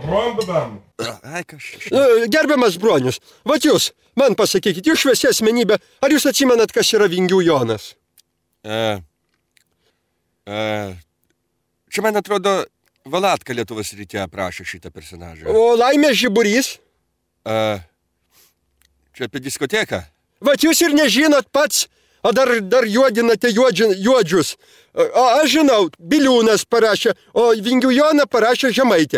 Rondam. Ai, kažkaip. Gerbiamas Bronius, vat jūs, man pasakykit, jūs šviesi asmenybė, ar jūs atsimenat, kas yra Vingių Jonas? Čia, man atrodo, Valatka Lietuvos ryte aprašė šitą personažą. O Laimės Žiburys? Čia apie diskoteką. Vat jūs ir nežinot pats, o dar juodinate juodžius. O aš žinau, Biliūnas parašė, o Vingių Joną parašė Žemaitė.